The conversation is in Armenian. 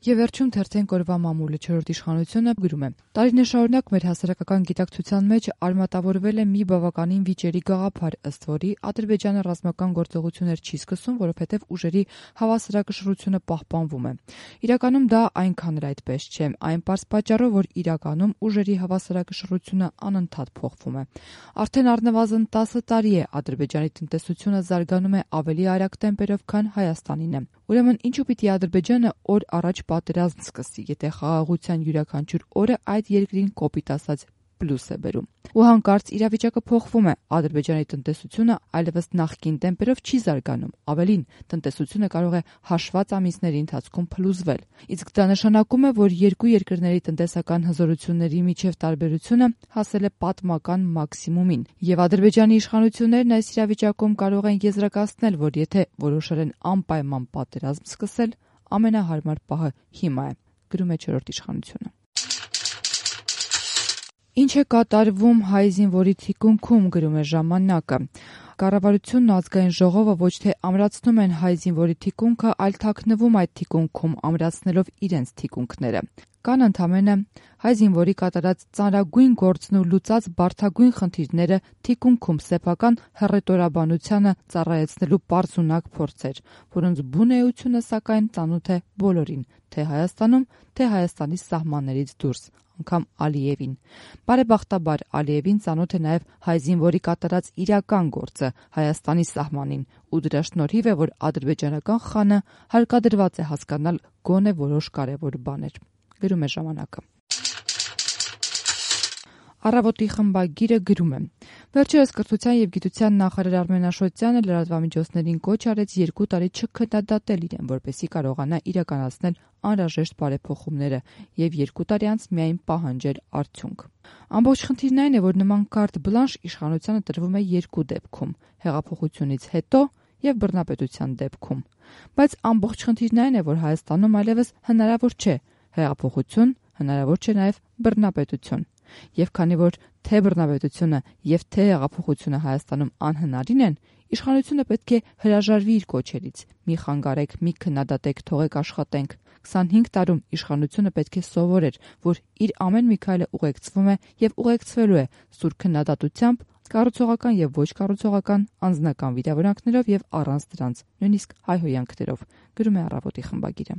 Եվ վերջում թերթենք օրվա մամուլը 4-րդ իշխանությունը գրում է. տարիներ շարունակ մեր հասարակական գիտակցության մեջ արմատավորվել է մի բավականին վիճելի գաղափար, ըստ որի Ադրբեջանը ռազմական գործողություններ չի սկսում, որովհետև ուժերի հավասարակշռությունը պահպանվում է։ Իրականում դա այնքան էլ այդպես չէ, այն պարզ պատճառով, որ իրականում ուժերի հավասարակշռությունը անընդհատ փոխվում է։ Արդեն առնվազն 10 տարի է Ադրբեջանի տնտեսությունը զարգանում է ավելի արագ տեմպերով, քան Հայաստանին է։ Ուրեմն ինչու պիտի Ադրբեջանը օր առաջ պատերազմ սկսի, եթե խաղաղության յուրաքանչյուր օրը այդ երկրին կոպիտ ասած պլյուս է բերում։ Ու հանկարծ իրավիճակը փոխվում է, Ադրբեջանի տնտեսությունը այլևս նախկին տեմպերով չի զարգանում, ավելին, տնտեսությունը կարող է հաշված ամիսների ընթացքում փլուզվել։ Իսկ դա նշանակում է, որ երկու երկրների տնտեսական հզորությունների միջև տարբերությունը հասել է պատմական մաքսիմումին, եւ Ադրբեջանի իշխանություններն այս իրավիճակում կարող են եզրակացնել, որ եթե որոշել են անպայման պատերազմ սկսել, ամենահարմար պահը հիմա է, գրում է 4-րդ իշխանությունը։ Ինչ է կատարվում հայ զինվորի թիկունքում, գրում է Ժամանակը։ Կառավարությունն ու ազգային ժողովը ոչ թե ամրացնում են հայ զինվորի թիկունքը, այլ թաքնվում այդ թիկունքում, ամրացնելով իրենց թիկունքները։ Կան ընդամենը հայ զինվորի կատարած ծանրագույն գործն ու լուծած բարդագույն խնդիրները թիկունքում սեփական հռետորաբանությանը ծառայեցնելու պարզունակ փորձեր, որոնց բուն էությունը սակայն ծանոթ է բոլորին, թե Հայաստանում, թե Հայաստանի սահմաններից դուրս, անգամ Ալիևին։ Բարեբախտաբար Ալիևին ծանոթ է նաև հայ զինվորի կատարած իրական գործը Հայաստանի սահմանին, ու դրա շնորհիվ է, որ ադրբեջանական խանը հարկադրված է հասկանալ գոնե որոշ կարևոր բաներ, գրում է Ժամանակը։ Առավոտի խմբագիրը գրում է. վերջերս կրթության և գիտության նախարար Արմեն Աշոտյանը լրատվամիջոցներին կոչ արեց 2 տարի չքննադատել իրեն, որպեսզի կարողանա իրականացնել անհրաժեշտ բարեփոխումները և 2 տարի անց միայն պահանջել արդյունք։ Ամբողջ խնդիրն այն է, որ նման կարտ բլանշ իշխանությանը տրվում է 2 դեպքում՝ հեղափոխությունից հետո և բռնապետության դեպքում։ Բայց ամբողջ խնդիրն այն է, որ Հայաստանում այլևս հնարավոր չէ հեղափոխություն, հնարավոր չէ նաև բռնապետություն։ Եվ քանի որ թե բռնապետությունը և թե հեղափոխությունը Հայաստանում անհնարին են, իշխանությունը պետք է հրաժարվի իր կոչերից՝ մի խանգարեք, մի քննադատեք, թողեք աշխատենք։ 25 տարում իշխանությունը պետք է սովորեր, որ իր ամեն մի քայլը ուղեկցվում է և ուղեկցվելու է սուր քննադատությամբ, կառուցողական և ոչ կառուցողական, անձնական վիրավորանքներով և առանց դրանց, նույնիսկ հայհոյանքներով, գրում է Առավոտի խմբագիրը։